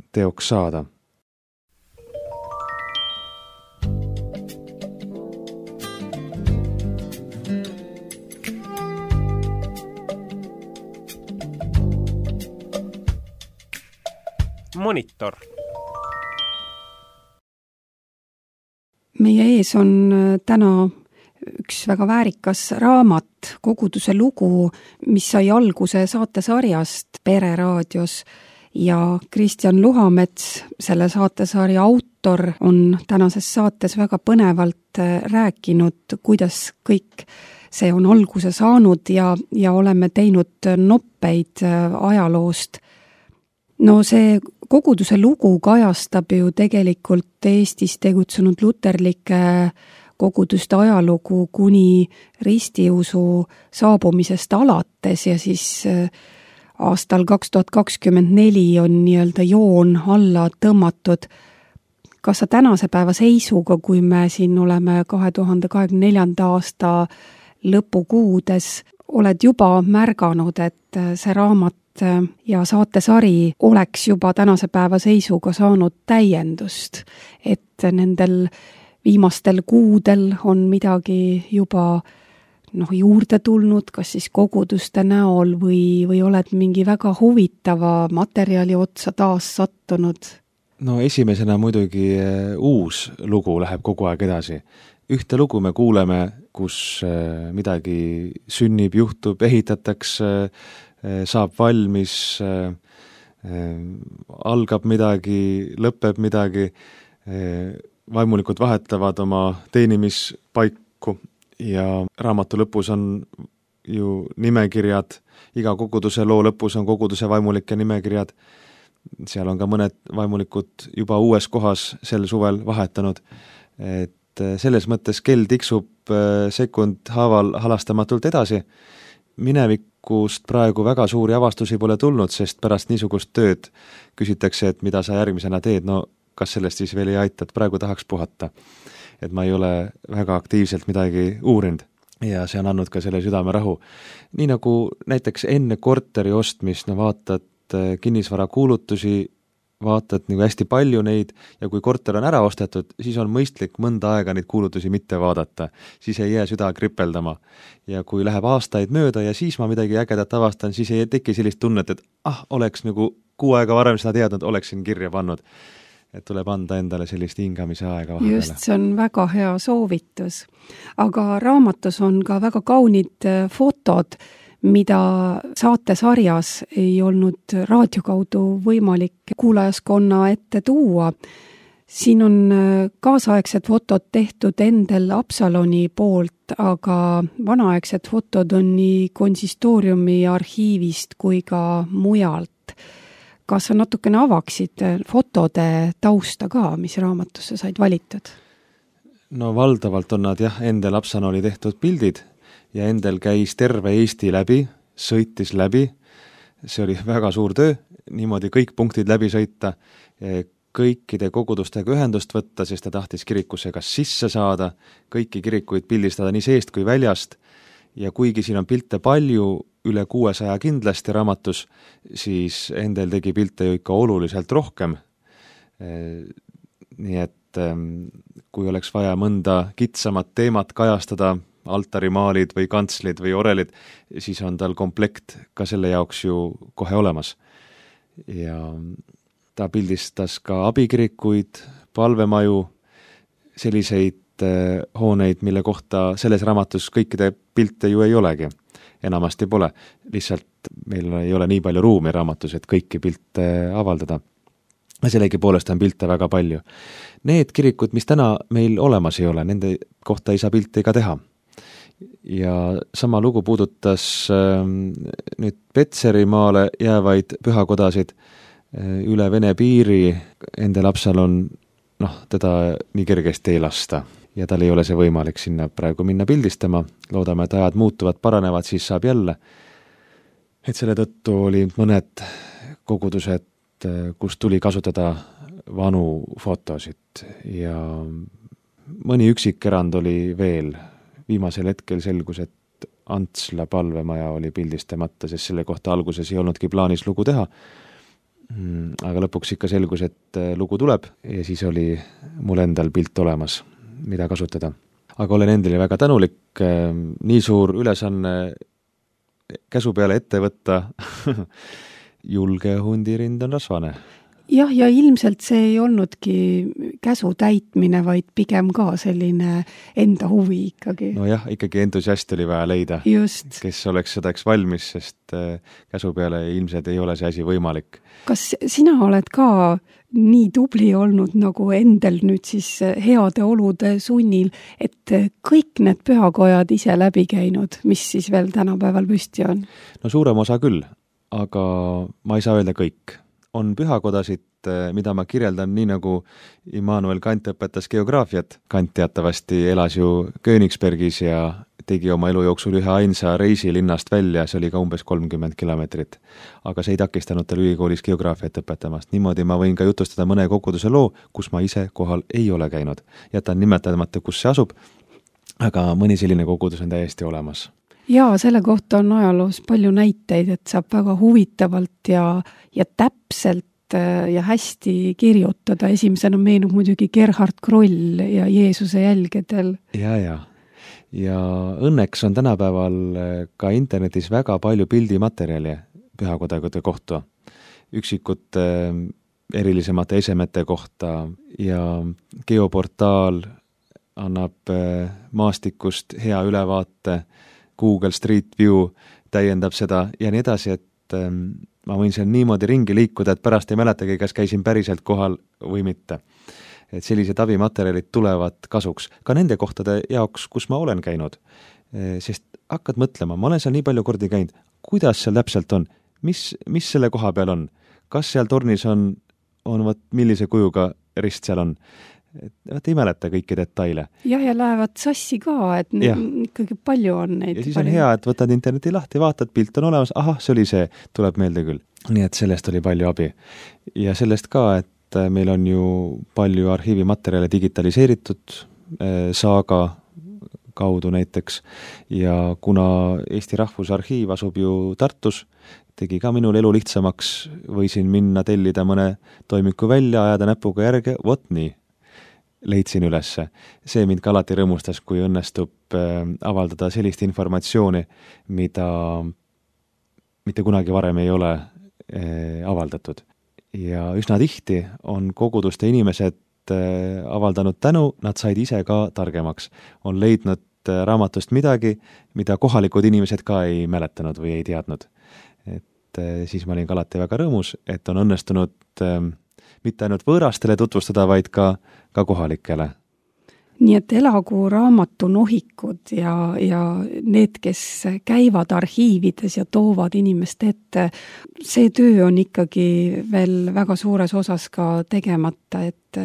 teoks saada. Monitor. Meie ees on täna üks väga väärikas raamat, koguduse lugu, mis sai alguse saatesarjast Pereraadios ja Kristjan Luhamets, selle saatesarja autor, on tänases saates väga põnevalt rääkinud, kuidas kõik see on alguse saanud ja, ja oleme teinud noppeid ajaloost. No see koguduse lugu kajastab ju tegelikult Eestis tegutsenud luterlike koguduste ajalugu kuni ristiusu saabumisest alates ja siis aastal kaks tuhat kakskümmend neli on nii-öelda joon alla tõmmatud. Kas sa tänase päeva seisuga, kui me siin oleme kahe tuhande kahekümne neljanda aasta lõpukuudes, oled juba märganud, et see raamat ja saatesari oleks juba tänase päeva seisuga saanud täiendust, et nendel viimastel kuudel on midagi juba noh, juurde tulnud, kas siis koguduste näol või, või oled mingi väga huvitava materjali otsa taas sattunud? No esimesena muidugi uus lugu läheb kogu aeg edasi. Ühte lugu me kuuleme, kus midagi sünnib, juhtub, ehitatakse, saab valmis, algab midagi, lõpeb midagi, vaimulikud vahetavad oma teenimispaiku ja raamatu lõpus on ju nimekirjad, iga koguduse loo lõpus on koguduse vaimulike nimekirjad, seal on ka mõned vaimulikud juba uues kohas sel suvel vahetanud, et selles mõttes kell tiksub sekund haaval halastamatult edasi. Minevikust praegu väga suuri avastusi pole tulnud, sest pärast niisugust tööd küsitakse, et mida sa järgmisena teed, no kas sellest siis veel ei aita, et praegu tahaks puhata. Et ma ei ole väga aktiivselt midagi uurinud ja see on andnud ka selle südame rahu. Nii nagu näiteks enne korteri ostmist, no vaatad kinnisvara kuulutusi vaatad nagu hästi palju neid ja kui korter on ära ostetud, siis on mõistlik mõnda aega neid kuulutusi mitte vaadata, siis ei jää süda kripeldama. Ja kui läheb aastaid mööda ja siis ma midagi ägedat avastan, siis ei teki sellist tunnet, et ah, oleks nagu kuu aega varem seda teadnud, oleksin kirja pannud. Et tuleb anda endale sellist hingamise aega vahepeale. Just, see on väga hea soovitus. Aga raamatus on ka väga kaunid fotod, mida saatesarjas ei olnud raadio kaudu võimalik kuulajaskonna ette tuua. Siin on kaasaegsed fotod tehtud Endel Absaloni poolt, aga vanaaegsed fotod on nii konsistooriumi arhiivist kui ka mujalt. Kas sa natukene avaksid fotode tausta ka, mis raamatusse said valitud? No valdavalt on nad jah, Endel Absaloni tehtud pildid, ja Endel käis terve Eesti läbi, sõitis läbi, see oli väga suur töö, niimoodi kõik punktid läbi sõita, kõikide kogudustega ühendust võtta, sest ta tahtis kirikusse kas sisse saada, kõiki kirikuid pildistada nii seest kui väljast, ja kuigi siin on pilte palju, üle kuuesaja kindlasti raamatus, siis Endel tegi pilte ju ikka oluliselt rohkem. Nii et kui oleks vaja mõnda kitsamat teemat kajastada, altarimaalid või kantslid või orelid, siis on tal komplekt ka selle jaoks ju kohe olemas. Ja ta pildistas ka abikirikuid, palvemaju, selliseid hooneid, mille kohta selles raamatus kõikide pilte ju ei olegi. Enamasti pole, lihtsalt meil ei ole nii palju ruumi raamatus, et kõiki pilte avaldada. Sellegi poolest on pilte väga palju. Need kirikud, mis täna meil olemas ei ole, nende kohta ei saa pilte ka teha. Ja sama lugu puudutas äh, nüüd Petserimaale jäävaid pühakodasid äh, üle Vene piiri. Endel Absalon, noh, teda nii kergesti ei lasta ja tal ei ole see võimalik sinna praegu minna pildistama. Loodame, et ajad muutuvad, paranevad, siis saab jälle. Et selle tõttu oli mõned kogudused, kus tuli kasutada vanu fotosid ja mõni üksik erand oli veel. Viimasel hetkel selgus, et Antsla palvemaja oli pildistamata, sest selle kohta alguses ei olnudki plaanis lugu teha. Aga lõpuks ikka selgus, et lugu tuleb ja siis oli mul endal pilt olemas, mida kasutada. Aga olen endale väga tänulik, nii suur ülesanne käsu peale ette võtta. Julge hundirind on rasvane. Jah, ja ilmselt see ei olnudki käsu täitmine, vaid pigem ka selline enda huvi ikkagi. No jah, ikkagi entusiast oli vaja leida, Just. kes oleks sedaks valmis, sest käsu peale ilmselt ei ole see asi võimalik. Kas sina oled ka nii tubli olnud nagu Endel nüüd siis heade olude sunnil, et kõik need pühakojad ise läbi käinud, mis siis veel tänapäeval püsti on? No suurem osa küll, aga ma ei saa öelda kõik. On pühakodasid, mida ma kirjeldan nii nagu Immanuel Kant õpetas geograafiat. Kant teatavasti elas ju Königsbergis ja tegi oma elu jooksul ühe ainsa reisi linnast välja, see oli ka umbes kolmkümmend kilomeetrit. Aga see ei takistanud tal ülikoolis geograafiat õpetamast. Niimoodi ma võin ka jutustada mõne koguduse loo, kus ma ise kohal ei ole käinud. Jätan nimetamata, kus see asub, aga mõni selline kogudus on täiesti olemas. Jaa, selle kohta on ajaloos palju näiteid, et saab väga huvitavalt ja, ja täpselt ja hästi kirjutada. Esimesena meenub muidugi Gerhard Kroll ja Jeesuse jälgedel. Ja, ja. Ja õnneks on tänapäeval ka internetis väga palju pildimaterjali pühakodade kohta. Üksikute erilisemate esemete kohta ja geoportaal annab maastikust hea ülevaate, Google Street View täiendab seda ja nii edasi, et ähm, ma võin seal niimoodi ringi liikuda, et pärast ei mäletagi, kas käisin päriselt kohal või mitte. Et sellised abimaterjalid tulevad kasuks ka nende kohtade jaoks, kus ma olen käinud. E, sest hakkad mõtlema, ma olen seal nii palju kordi käinud, kuidas seal täpselt on, mis, mis selle koha peal on, kas seal tornis on, on võt, millise kujuga rist seal on. Et ei mäleta kõiki detaile. Jah, ja lähevad sassi ka, et ja. Ikkagi palju on neid. Ja siis on palju. Hea, et võtad interneti lahti, vaatad, pilt on olemas, ahah, see oli see, tuleb meelde küll. Nii et sellest oli palju abi. Ja sellest ka, et meil on ju palju arhiivimaterjale digitaliseeritud, Saaga kaudu näiteks. Ja kuna Eesti Rahvusarhiiv asub ju Tartus, tegi ka minul elu lihtsamaks, võisin minna tellida mõne toimiku välja, ajada näpuga järge, vot nii, leidsin ülesse. See mind ka alati rõõmustas, kui õnnestub avaldada sellist informatsiooni, mida mitte kunagi varem ei ole avaldatud. Ja üsna tihti on koguduste inimesed avaldanud tänu, nad said ise ka targemaks. On leidnud raamatust midagi, mida kohalikud inimesed ka ei mäletanud või ei teadnud. Et siis ma olin ka alati väga rõõmus, et on õnnestunud mitte ainult võõrastele tutvustada, vaid ka, ka kohalikele. Nii et elagu raamatu nohikud ja, ja need, kes käivad arhiivides ja toovad inimest ette, see töö on ikkagi veel väga suures osas ka tegemata, et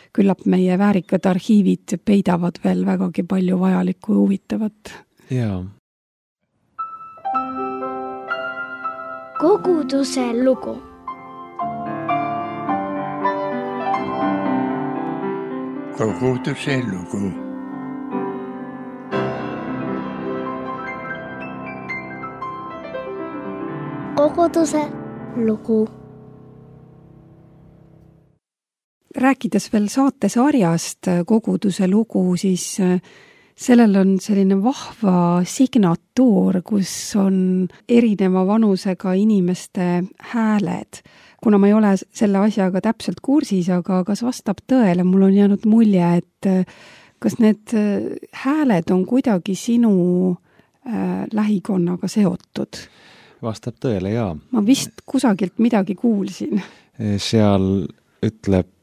küllap meie väärikad arhiivid peidavad veel vägagi palju vajalikku ja huvitavat. Jaa. Koguduse lugu. Koguduse lugu. Koguduse lugu. Rääkides veel saatesarjast Koguduse lugu, siis sellel on selline vahva signatuur, kus on erineva vanusega inimeste hääled. Kuna ma ei ole selle asjaga täpselt kursis, aga kas vastab tõele, mul on jäänud mulje, et kas need hääled on kuidagi sinu äh, lähikonnaga seotud? Vastab tõele, jaa. Ma vist kusagilt midagi kuulsin. Seal ütleb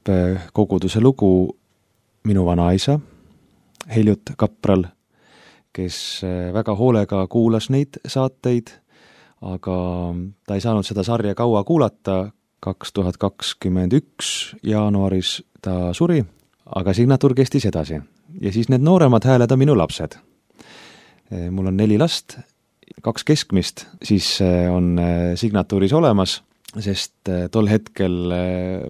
Koguduse lugu minu vanaisa, Heljut Kapral, kes väga hoolega kuulas neid saateid, aga ta ei saanud seda sarja kaua kuulata. kaks tuhat kakskümmend üks jaanuaris ta suri, aga signatuur kestis edasi. Ja siis need nooremad hääled on minu lapsed. Mul on neli last, kaks keskmist, siis on signatuuris olemas, sest tol hetkel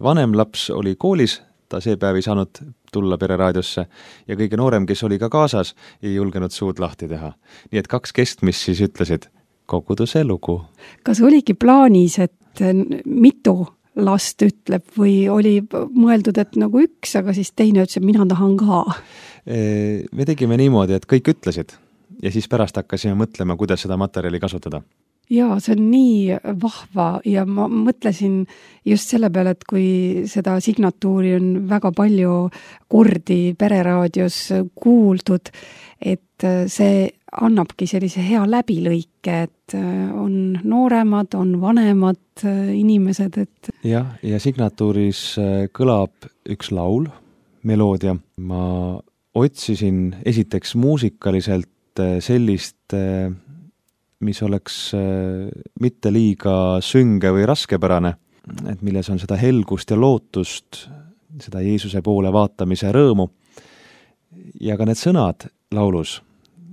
vanem laps oli koolis, ta see päev ei saanud tulla pereraadiosse ja kõige noorem, kes oli ka kaasas, ei julgenud suud lahti teha. Nii et kaks keskmist siis ütlesid Koguduse lugu. Kas oligi plaanis, et mitu last ütleb või oli mõeldud, et nagu üks, aga siis teine ütles, et mina tahan ka? Me tegime niimoodi, et kõik ütlesid ja siis pärast hakkasime mõtlema, kuidas seda materjali kasutada. Jaa, see on nii vahva ja ma mõtlesin just selle peale, et kui seda signatuuri on väga palju kordi pereraadios kuuldud, et see annabki sellise hea läbilõike, et on nooremad, on vanemad inimesed, et... Jah, ja signatuuris kõlab üks laul, meloodia. Ma otsisin esiteks muusikaliselt sellist, mis oleks mitte liiga sünge või raskepärane, et milles on seda helgust ja lootust, seda Jeesuse poole vaatamise rõõmu. Ja ka need sõnad laulus,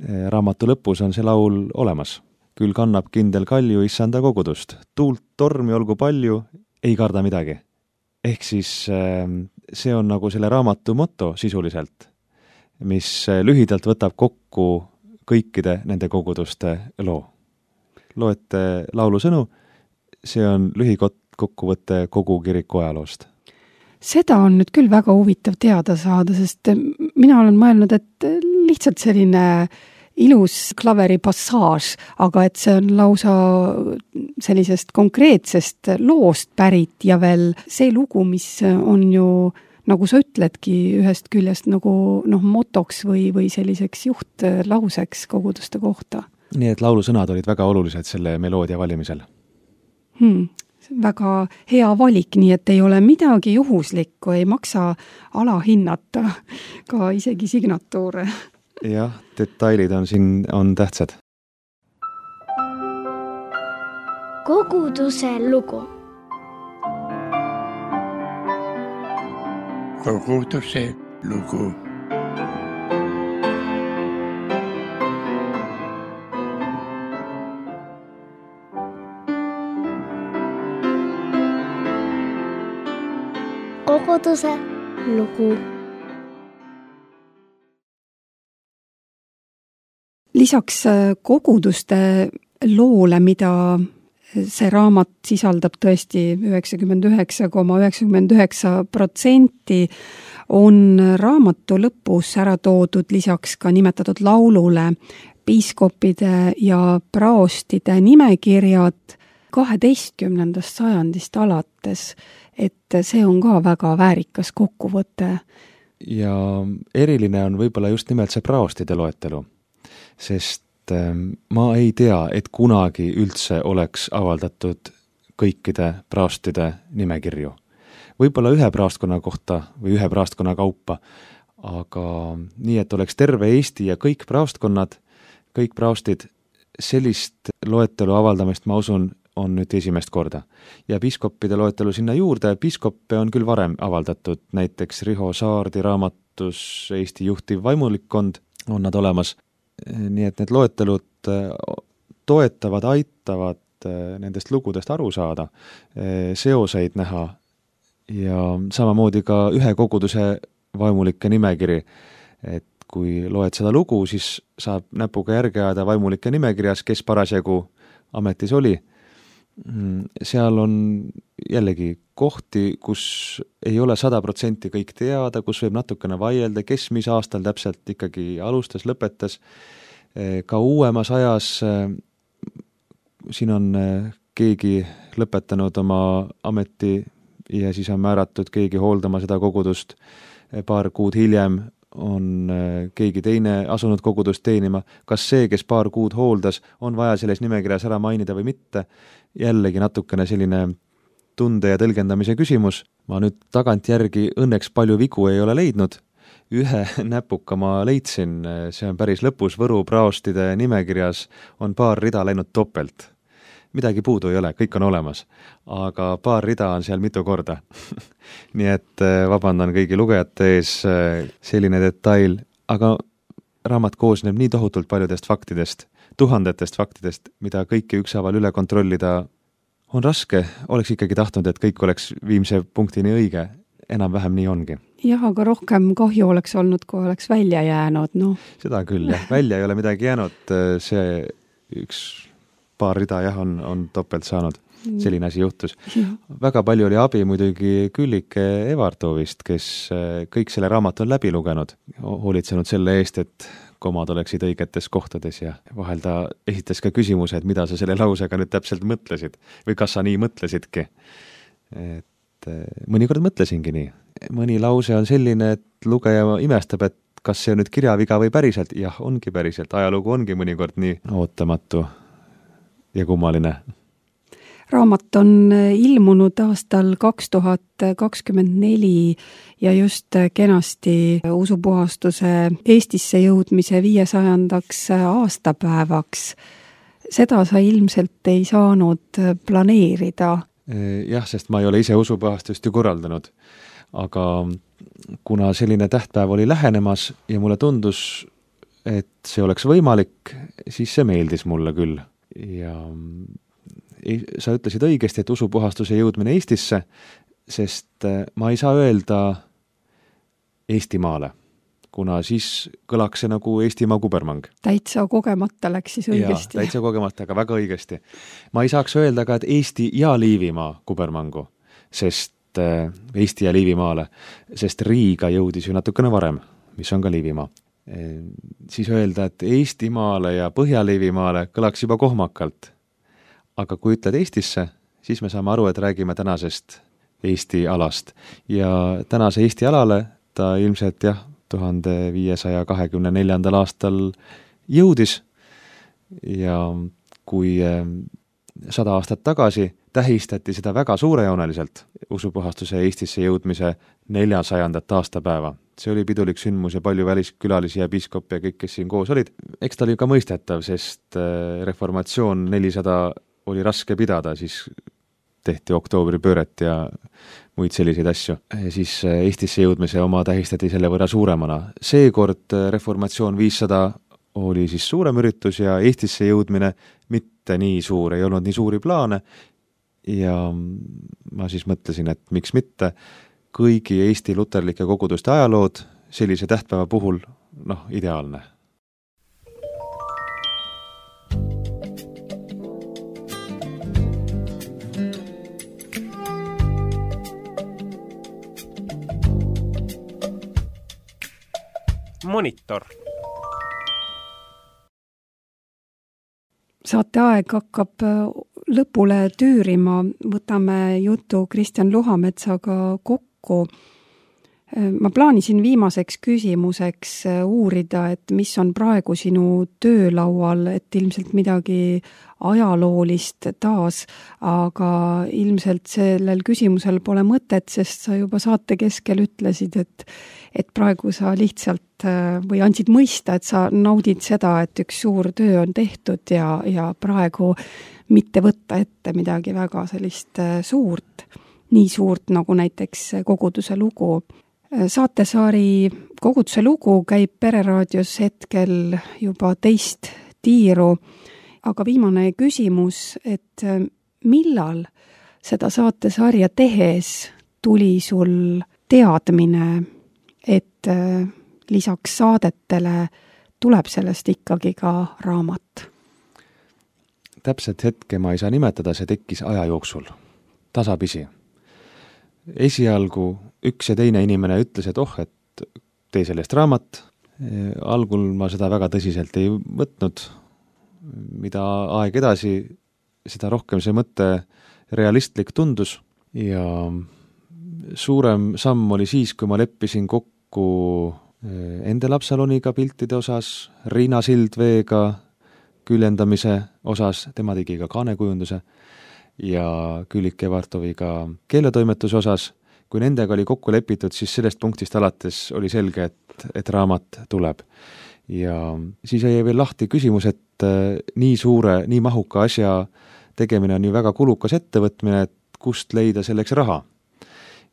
raamatu lõpus on see laul olemas. Küll kannab kindel kalju issanda kogudust. Tuult tormi olgu palju, ei karda midagi. Ehk siis see on nagu selle raamatu motto sisuliselt, mis lühidalt võtab kokku kõikide nende koguduste loo. Loete laulu sõnu, see on lühikokkuvõte kogu kiriku ajaloost. Seda on nüüd küll väga huvitav teada saada, sest mina olen mõelnud, et lihtsalt selline ilus klaveri passaaž, aga et see on lausa sellisest konkreetsest loost pärit ja veel see lugu, mis on ju, nagu sa ütledki, ühest küljest nagu noh, motoks või, või selliseks juhtlauseks koguduste kohta. Nii et laulusõnad olid väga olulised selle meloodia valimisel. Hmm. Väga hea valik, nii et ei ole midagi juhuslikku, ei maksa alahinnata ka isegi signatuure. Jah, detailid on siin on tähtsad. Koguduse lugu. Koguduse lugu. Koguduse lugu. lisaks koguduste loole, mida see raamat sisaldab tõesti üheksakümmend üheksa koma üheksakümmend üheksa protsenti, on raamatu lõpus ära toodud lisaks ka nimetatud laulule piiskopide ja praostide nimekirjad kaheteistkümnendast sajandist alates, et see on ka väga väärikas kokkuvõte. Ja eriline on võib-olla just nimelt see praostide loetelu, sest ma ei tea, et kunagi üldse oleks avaldatud kõikide praostide nimekirju. Võib-olla ühe praostkonna kohta või ühe praostkonna kaupa, aga nii, et oleks terve Eesti ja kõik praostkonnad, kõik praostid, sellist loetelu avaldamist, ma usun, on nüüd esimest korda. Ja piiskopide loetelu sinna juurde, piiskoppe on küll varem avaldatud, näiteks Riho Saardi raamatus Eesti juhtiv vaimulikkond on nad olemas. Nii et need loetelud toetavad, aitavad nendest lugudest aru saada, seoseid näha ja samamoodi ka ühe koguduse vaimulike nimekiri, et kui loed seda lugu, siis saab näpuga järge ajada vaimulike nimekirjas, kes parasjagu ametis oli. Seal on jällegi kohti, kus ei ole sada protsenti kõik teada, kus võib natukene vaielda, kes mis aastal täpselt ikkagi alustas, lõpetas. Ka uuemas ajas siin on keegi lõpetanud oma ameti ja siis on määratud keegi hooldama seda kogudust. Paar kuud hiljem on keegi teine asunud kogudust teenima. Kas see, kes paar kuud hooldas, on vaja selles nimekirjas ära mainida või mitte? Jällegi natukene selline tunde ja tõlgendamise küsimus. Ma nüüd tagantjärgi õnneks palju vigu ei ole leidnud. Ühe näpuka ma leidsin, see on päris lõpus Võru praostide nimekirjas, on paar rida läinud topelt. Midagi puudu ei ole, kõik on olemas, aga paar rida on seal mitu korda. Nii et vabandan kõigi lugejate ees selline detail, aga raamat koosneb nii tohutult paljudest faktidest, tuhandetest faktidest, mida kõiki ükshaaval üle kontrollida on raske. Oleks ikkagi tahtnud, et kõik oleks viimse punktini õige, enam-vähem nii ongi. Jah, aga rohkem kahju oleks olnud, kui oleks välja jäänud. No. Seda küll, jah. Välja ei ole midagi jäänud, see üks paar rida jah, on, on topelt saanud. Selline asi juhtus. Ja. Väga palju oli abi muidugi Küllike Evartovist, kes kõik selle raamat on läbi lugenud, hoolitsenud selle eest, et komad oleksid õigetes kohtades ja vahel ta esitas ka küsimuse, et mida sa selle lausega nüüd täpselt mõtlesid või kas sa nii mõtlesidki. Et mõnikord mõtlesingi nii. Mõni lause on selline, et lugeja imestab, et kas see on nüüd kirjaviga või päriselt. Jah, ongi päriselt. Ajalugu ongi mõnikord nii ootamatu ja kummaline. Raamat on ilmunud aastal kaks tuhat kakskümmend neli ja just kenasti usupuhastuse Eestisse jõudmise viiesajandaks aastapäevaks. Seda sa ilmselt ei saanud planeerida. Jah, sest ma ei ole ise usupuhastust ju korraldanud, aga kuna selline tähtpäev oli lähenemas ja mulle tundus, et see oleks võimalik, siis see meeldis mulle küll. Ja sa ütlesid õigesti, et usupuhastuse jõudmine Eestisse, sest ma ei saa öelda Eestimaale, kuna siis kõlaks see nagu Eestimaa kubermang. Täitsa kogemata läks siis õigesti. Ja, täitsa kogemata, aga väga õigesti. Ma ei saaks öelda ka, et Eesti ja Liivimaa kubermangu, sest Eesti ja Liivimaale, sest Riiga jõudis ju natukene varem, mis on ka Liivimaa. Siis öelda, et Eestimaale ja Põhja-Liivimaale kõlaks juba kohmakalt. Aga kui ütled Eestisse, siis me saame aru, et räägime tänasest Eesti alast. Ja tänase Eesti alale ta ilmselt jah, tuhande viiesaja kahekümne neljandal aastal jõudis ja kui sada aastat tagasi tähistati seda väga suurejooneliselt usupuhastuse Eestisse jõudmise neljasajandat aastapäeva. See oli pidulik sündmus ja palju väliskülalisi ja piiskop ja kõik, kes siin koos olid. Eks ta oli ka mõistetav, sest reformatsioon nelisada oli raske pidada, siis tehti oktoobripööret ja muid selliseid asju. Siis Eestisse jõudmise oma tähistati selle võrra suuremana. Seekord reformatsioon viissada oli siis suurem üritus ja Eestisse jõudmine mitte nii suur, ei olnud nii suuri plaane ja ma siis mõtlesin, et miks mitte kõigi Eesti luterlike koguduste ajalood sellise tähtpäeva puhul, noh, ideaalne. Monitor. Saateaeg hakkab lõpule tüürima, võtame jutu Kristjan Luhametsaga kokku. Ma plaanisin viimaseks küsimuseks uurida, et mis on praegu sinu töölaual, et ilmselt midagi ajaloolist taas, aga ilmselt sellel küsimusel pole mõtet, sest sa juba saate keskel ütlesid, et, et praegu sa lihtsalt või andsid mõista, et sa naudid seda, et üks suur töö on tehtud ja, ja praegu mitte võtta ette midagi väga sellist suurt, nii suurt nagu näiteks koguduse lugu. Saatesari Koguduse lugu käib Pereraadios hetkel juba teist tiiru, aga viimane küsimus, et millal seda saatesarja tehes tuli sul teadmine, et lisaks saadetele tuleb sellest ikkagi ka raamat? Täpselt hetke ma ei saa nimetada, see tekkis aja jooksul, tasapisi. Esialgu üks ja teine inimene ütles, et oh, et tee sellest raamat. Algul ma seda väga tõsiselt ei võtnud. Mida aeg edasi, seda rohkem see mõte realistlik tundus. Ja suurem samm oli siis, kui ma leppisin kokku Endel Absaloniga piltide osas, Riina Sildveega küljendamise osas, tema tegi ka kaanekujunduse, ja Küllike Vartoviga keeletoimetuse osas. Kui nendega oli kokku lepitud, siis sellest punktist alates oli selge, et, et raamat tuleb. Ja siis jäi veel lahti küsimus, et nii suure, nii mahuka asja tegemine on ju väga kulukas ettevõtmine, et kust leida selleks raha.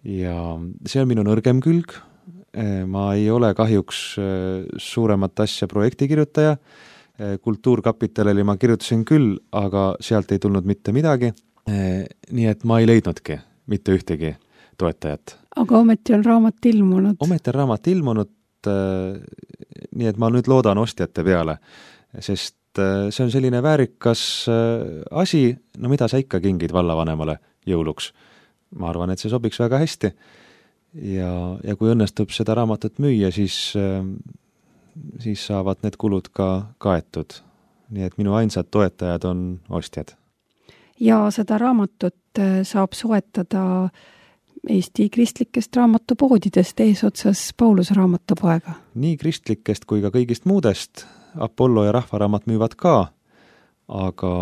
Ja see on minu nõrgem külg. Ma ei ole kahjuks suuremat asja projektikirjutaja. Kultuurkapitalile ma kirjutasin küll, aga sealt ei tulnud mitte midagi. Nii et ma ei leidnudki mitte ühtegi toetajat. Aga ometi on raamat ilmunud. Ometi on raamat ilmunud, nii et ma nüüd loodan ostjate peale, sest see on selline väärikas asi, no mida sa ikka kingid vallavanemale jõuluks. Ma arvan, et see sobiks väga hästi ja, ja kui õnnestub seda raamatut müüa, siis, siis saavad need kulud ka kaetud. Nii et minu ainsad toetajad on ostjad. Ja seda raamatut saab soetada Eesti kristlikest raamatupoodidest eesotsas Pauluse raamatupoega. Nii kristlikest kui ka kõigist muudest. Apollo ja Rahvaraamat müüvad ka, aga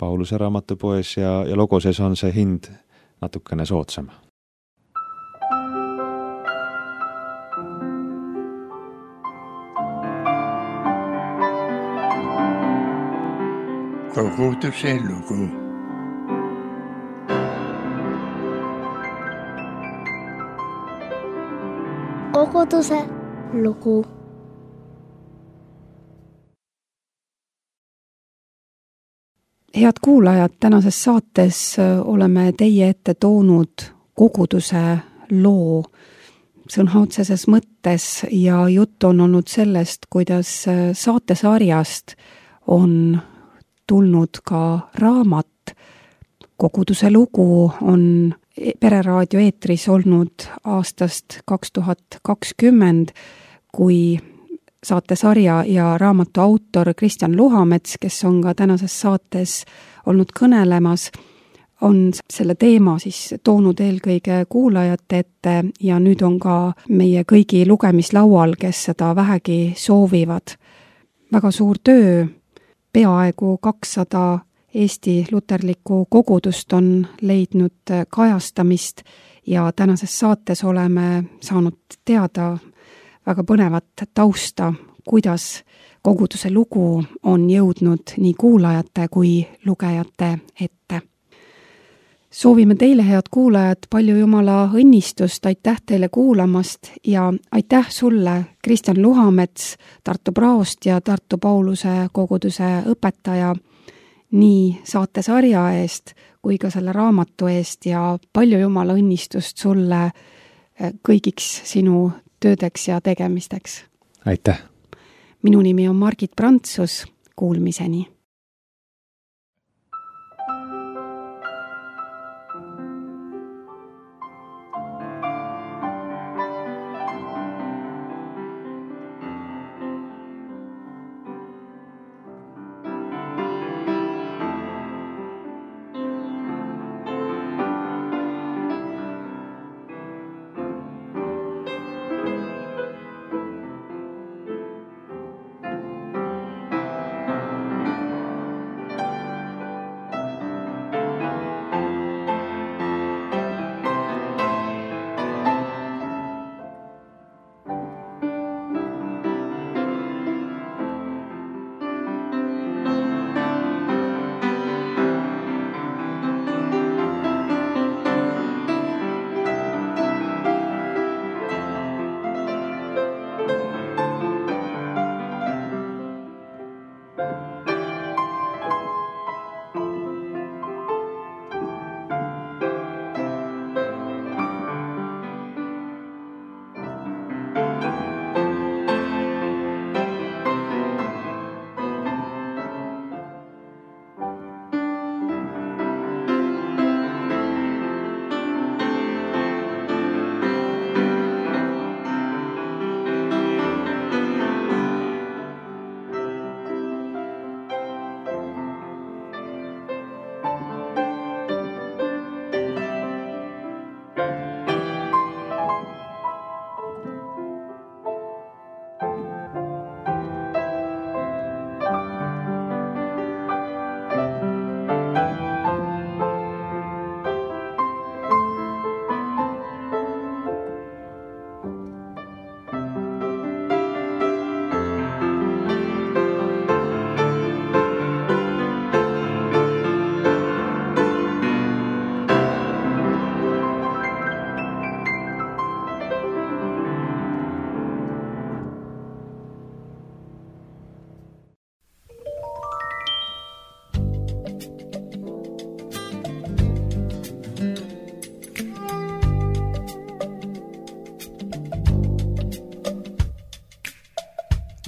Pauluse raamatupoes ja, ja Logoses on see hind natukene soodsam. Koguduse lugu. Koguduse lugu. Head kuulajad, tänases saates oleme teie ette toonud koguduse loo sõna otseses mõttes ja jutt on olnud sellest, kuidas saatesarjast on tulnud ka raamat. Koguduse lugu on Pereraadio eetris olnud aastast kaks tuhat kakskümmend, kui saatesarja ja raamatu autor Kristjan Luhamets, kes on ka tänases saates olnud kõnelemas, on selle teema siis toonud eelkõige kuulajate ette ja nüüd on ka meie kõigi lugemislaual, kes seda vähegi soovivad. Väga suur töö, peaaegu kakssada Eesti luterlikku kogudust on leidnud kajastamist ja tänases saates oleme saanud teada väga põnevat tausta, kuidas koguduse lugu on jõudnud nii kuulajate kui lugejate ette. Soovime teile, head kuulajad, palju Jumala õnnistust, aitäh teile kuulamast ja aitäh sulle, Kristjan Luhamets, Tartu Praost ja Tartu Pauluse koguduse õpetaja, nii saatesarja eest kui ka selle raamatu eest ja palju Jumala õnnistust sulle kõigiks sinu töödeks ja tegemisteks. Aitäh! Minu nimi on Margit Prantsus, kuulmiseni!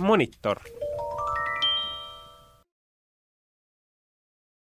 Monitor